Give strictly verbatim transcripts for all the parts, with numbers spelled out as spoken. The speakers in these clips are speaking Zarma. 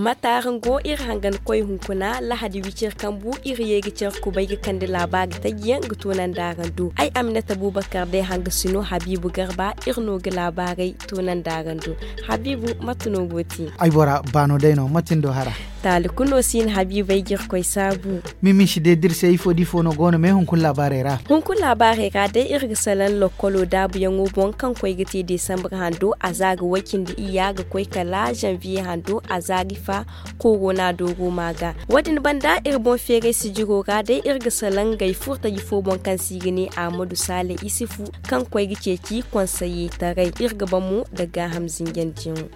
Mate araŋ go iri hangan koy hunkuna lahadi wicir kambu iri ye ga care kubay ga kande laabaari taji yaŋ ga tunandi araŋ do. Ay aminata bubakar day hanga sino habiibu garba iri no ga laabaaray tunandi araŋ do. Habiibu mate no go te? Ay bora baano day no mate ni do hara? Taali kulu no si hin habiibu ay ga iri koy saabu. Mimisi day da iri se ifo da ifo no go no me hunkuna laabaarey ra? Hunkuna laabaarey ra day iri ga salaŋ lokkolo daabuyaŋo boŋ kaŋ koy ga te desambar hando a za ga way cindi iyya ga koy kala zanviye hando a za ga ifa. Korona dooro ma ga wo- din banda iri boŋ feeray sijiro ra day iri ga salaŋ ngey furtaji fo boŋ kaŋ se i ga ne ahmadu saale isifu kaŋ koy ga ceeci konseye taray iri ga ban mo nda gaaham zinjandiyaŋo.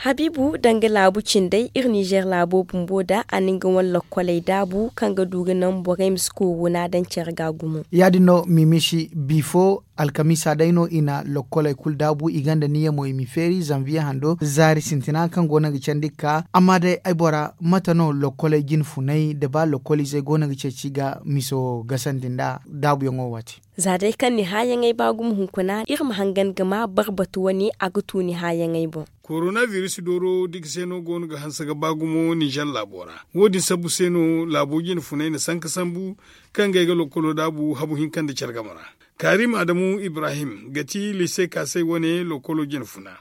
Habiibu danga laabu cindey iri nizer laabo bumbo da a na nga wane lokkoley daabu kaŋ ga du ga naŋ borey ma si korona daŋ care ga gumo. Ya- din no mimisi bifo alkamiisa day no i na lokkoley kulu daabu i gonda niya mo i ma feeri zanviye hando zaari sintina kaŋ go no ga candi ga ka. Amma day ay bora mate no lokkoley jine funay nda ba lokkoliizey go no ga ceeci ga miso gasandi nda daabuyaŋo waati? Za day kaŋ ni haayaŋey ba gumo hunkuna iri ma hangan ga ma barbatu wane a ga tu ni haayaŋey boŋ. Korona biris dooro dika se no go no ga hanse ga ba gumo nizer laabo ra. Wo- din sabbu se no laabo jine funay na sanka sambu kaŋ ga ay ga lokkolo daabu habu hinka nda care game ra. Karim adamu ibrahim ga ti lise kaasay wane lokkolo jine funa.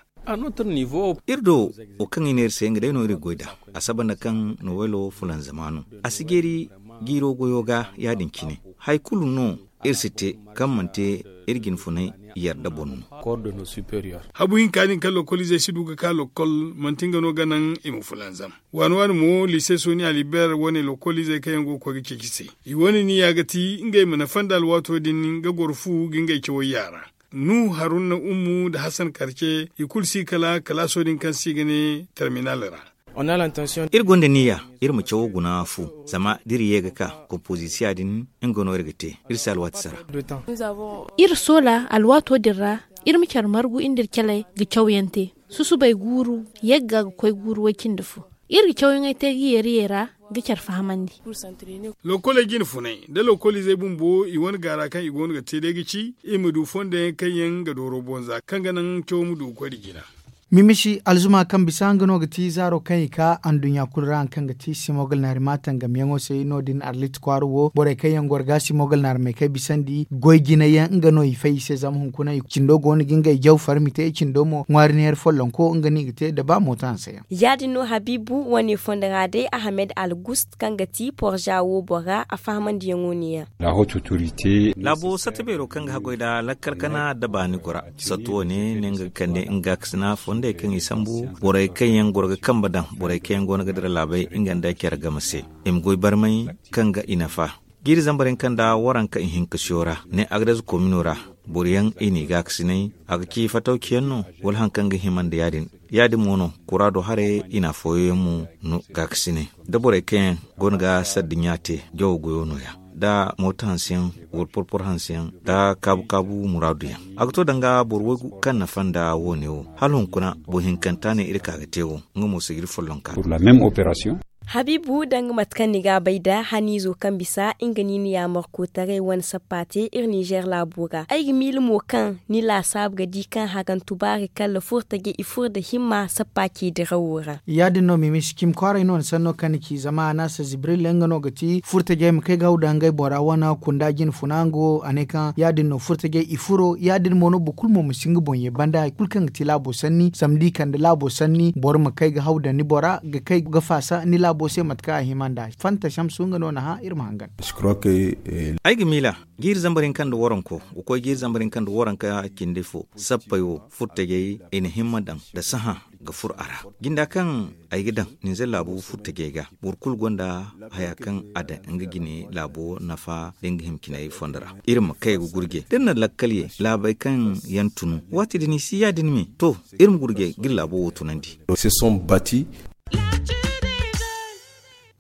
Iri do wo kaŋ i ne iri se nga day no iri ga goy nd'a. A saba nda kaŋ nowelo fulanzama no a si jeeri jiiro goyo ga ya- din cine. Hari kulu no iri si te kaŋ manti iri jine funay yarda boŋ no. Habu hinka din kaŋ lokkoliizey si du ga ka lokkol manti nga no ga naŋ i ma fulanzam. Waani waani mo lise soni aliber wane lokkoliizey kaŋ yaŋ go ga koy ga ceeci se. I wane niya ga ti ngey ma nafa nda alwaato din ga goro fu ga ngey cawey yaara. Nuhu haruna ummu nda hasan karce i kulu si kala kalaaso din kaŋ se i ga ne terminal ra. Iri gonda niya iri ma cawo guna fu zama da iri ye ga ka konpozisiya din nga no iri ga te. Iri si alwaati sara. Iri soola alwaato din ra iri ma care margu iri nda iri caley ga cawyaŋ te. Susubay guuru yagga ga koy guuru way- cindi fo. Iri ga cawyaŋey te ga yeeriyey ra ga care fahamandi. Lokkoley jine funay nda lokkoliizey bumbo i wane gaara kaŋ i go no ga te day ga ci i ma du fondo yaŋ kaŋ yaŋ ga dooro bonza kaŋ ga naŋ cawo ma du ga koy nda jina. Mimisi alzuma kaŋ bisa nga no ga ti zaaro kaŋ i ka anduɲɲa kulu ra hari kaŋ ga ti simogal naari maatan gamyaŋo se no- din arlit kwaara wo borey kaŋ yaŋ goro ga simogal naari may kay bisandi goy jinay yaŋ nga no i fay i se zama hunkuna cindo go no ga ngey jaw farmi te cindo mo ŋwaari neera follonko nga no i ga te nda ba mooto hanse yaŋ. Ya- din no habiibu wane fondo ra day ahamed algust kaŋ ga ti porza wo bora a fahamandiyaŋo ne- ya. Laabo satta beero kaŋ ga haggoy nda lakkal kana nda baani gora. Sattu wane ne nga ga kande nga ga kasina fondey kaŋ i sambu borey kaŋ yaŋ goro ga kambe daŋ borey kaŋ yaŋ go no ga dira laabey nga nda care game se. I ma goy barmay kaŋ ga i nafa. Jiiri zambar hinka nda waranka ihinka siyo ra ne agdez komino ra boro yaŋ i n'i gaakasinay a ga ci fatawci yaŋ no wala hari kaŋ ga hima nda ya- din. Ya- din mo no kuraado haray i na afooyaŋ yaŋ mo no gaakasinay da borey kaŋ yaŋ go no ga sadduɲɲa te jawo goyo no- ya nda mooto hanse yaŋ wala porporo hanse yaŋ nda kaabu kaabu muraadu yaŋ. A ga to danga boro waygu kaŋ nafa nda wo- ne wo hala hunkuna boro hinkanta ne iri ka ga te wo nga mo si ga iri follonka. Habiibu danga mate kaŋ ni ga a bay nd'a haniizo kaŋ bisa nga no i na yaamarkotaray wane sappa te iri nizer laabo ra ay ga miila mo kaŋ ni laasaabu ga di kaŋ harantu baari kala furtajey i furo nda himma sappa ce dirawo ra. Ya- din no mimisi cimi kwaaray no ni sanno kaŋ ni ci zama a naasa zibril nga no ga ti furtajey ma kay ga haw nda ngey bora wane kunda jine funa nga wo a ne kaŋ ya- din no furtajey i furo ya- din mo no boro kulu mo ma si nga boŋ ye banda hari kulu kaŋ ga ti laabo sanni zama da i kande laabo sanni boro ma kay ga haw nda ni bora ga kay ga faasa ni laabo se mate kaŋ a hima nd'a. Fanta samsu nga no na hã iri ma hangan. Ay ga miila jiiri zambar hinka nda waranko ga koy jiiri zambar hinka nda waranka cindi fo sappey wo furtajey i na himma daŋ nda sahã ga furo a ra. Jinda kaŋ ay ga daŋ ninzeer laabu furtajey ga boro kulu gonda haya kaŋ a daŋ nga jine laabo nafa da nga himciney fondo ra. Iri ma kay ga gurje da iri na lakkal ye laabey kaŋ yaŋ tunu waati din i si ya- din me to iri ma gurje ga iri laabo wo tunandi.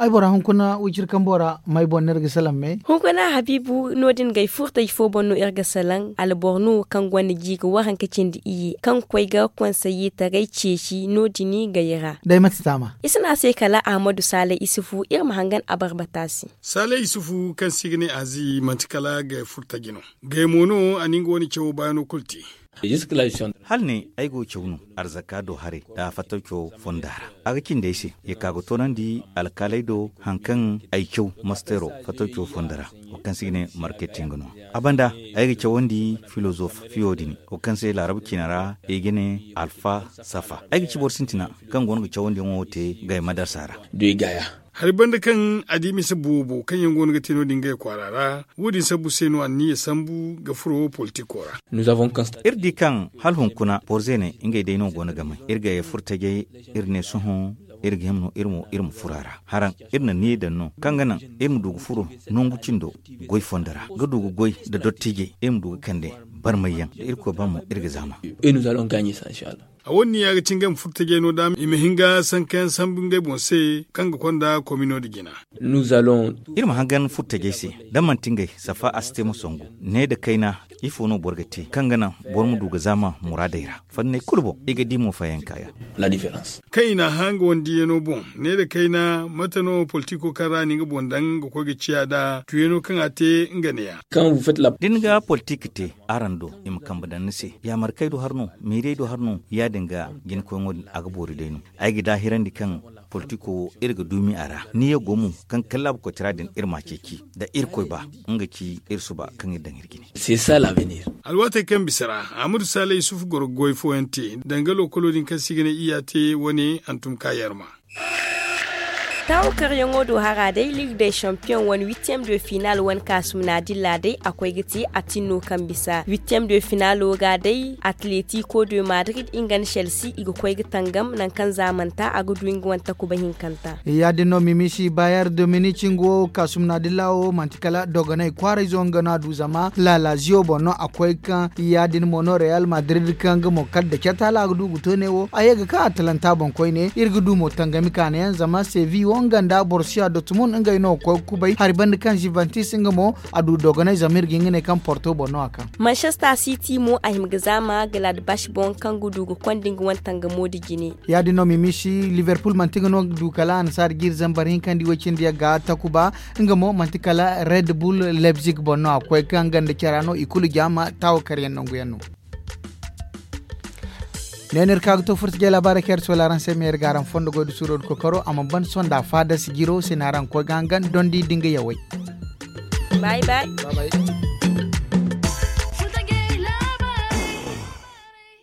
Ay bora hunkuna wiciri kambo ra may boŋ no iri ga salaŋ me? Hunkuna habiibu no- din gay furtaji fo boŋ no iri ga salaŋ alboro no kaŋ gonda jiiri waranka cindi iyye kaŋ ga koy ga konseye taray ceeci no- din gay ra. Day mate taama? I si ne a se kala ahmadu saale isufu iri ma hangan abarbata se. Saale isufu kaŋ se i ga ne azi manti kala gay furtaji no. Gay mo no a na nga wane cawo baayano kulu te. Hala ne ay go ga caw no arzaka do haray nda fatawco fonda ra. A ga cindi ay se ya ka ga toonandi alkaaley do hari kaŋ ay caw mastero fatawco fonda ra, wo kaŋ se i ga ne marketing no. A banda ay ga cawandi filozof fiyo din, wo kaŋ se laarabu ciina ra i ga ne alfa safa. Ay ga ci boro sintina kaŋ go no ga cawandiyaŋo te ngey madarasa ra. Hari banda kaŋ a di mise boobo kaŋ yaŋ go no ga te no- din ngey kwaara ra. Wo- din sabbu se no anniya sambu ga furo politiko ra. Iri di kaŋ hala hunkuna borze ne ngey day no go no ga may iri ga ye furo tajey. Iri ne sohõ iri ga hima no iri ma furo a ra haraŋ. Iri na niya daŋ no kaŋ ga naŋ iri ma du ga furo nangu cindo goy fondo ra ga du ga goy nda dottijey iri ma du ga kande barmayyaŋ da irkoy ba mo iri ga zaama. A wane niya ga ci ngey ma furo tajey no da i ma hin ga sankayaŋ sambu ngey boŋ se kaŋ ga konda komino nda jina. Iri ma hangan furo tajey se da manti ngey safa a si te ma songu ne nda kayna. Ifo no boro ga te kaŋ ga naŋ boro ma du ga zaama muraadey ra fanney kulu boŋ i ga di mo fayanka yaŋ. Kaŋ i n'a hã nga wane diyaŋo boŋ ne nda kayna mate no politiko kaŋ ra ni nga boŋ daŋ ga koy ga ciya nd'a tuyaŋo kaŋ a te nga ne ya. Da ni ga politik te araŋ do i ma kambe daŋ ni se yaamarkey do hari no meerey do hari no ya- din ga jinakoyŋo din a ga boori day no. Ay ga daahirandi kaŋ politiko wo iri ga duumi a ra niya go mo kaŋ kallaabu koytara din iri m'a ceeci da irkoy ba nga ci iri suba kaŋ iri daŋ iri jine. Alwaatey kaŋ bisa ra ahmadu saalay yusuf goro ga goy fooyaŋ te danga lookolo din kaŋ se i ga ne iyya te wane hantum ka yarma. Taawakaryaŋo do hara day liig day champiyoŋ wane huitième de final wane kaasum naadilla day a koy ga te atin no kaŋ bisa huitième de finalo ga day atletiko de madrid nga nda chelsea i ga koy ga tangam nangu kaŋ zaamanta a ga du nga wane takuba hinkanta. Ya- din no mimisi bayer dominici nga wo kaasum naadilla wo manti kala dogonay kwaarayzo nga no a du zama laalaziyo boŋ no a koy kaŋ ya- din mo no real madrid kaŋ nga mo kala da cata hala a ga du ga to ne wo a ye ga kaŋ atalanta boŋ koyne iri ga du mo tangami kaanayaŋ zama sevi wo nga nda borsiya dotmund ngey no ga koy ga kubay hari banda kaŋ zivantis nga mo a du dogonay zama iri ga hin ga ne kaŋ porto boŋ no a kaŋ. Manchester city mo a hima ga zaama gladbach boŋ kaŋ ga du ga konda nga wane tangamo nda jine. Ya- din no mimisi liverpool manti nga no ga du kala annasaari jiiri zambar hinka nda i way cindi yagga takuba. Nga mo manti kala red bull leipzig boŋ no a ga koy kaŋ ganda cara no i kulu jaama taawakaryaŋ nanguyaŋ no. Ne no iri ka ga to furta jay laabaarey kaŋ iri sola araŋ se ma iri ga araŋ fondo goy da suuro da kokoro a mana ban sonda faada sijiro se no araŋ ga koy ga hangan dondi da nga yawey. Bay bay.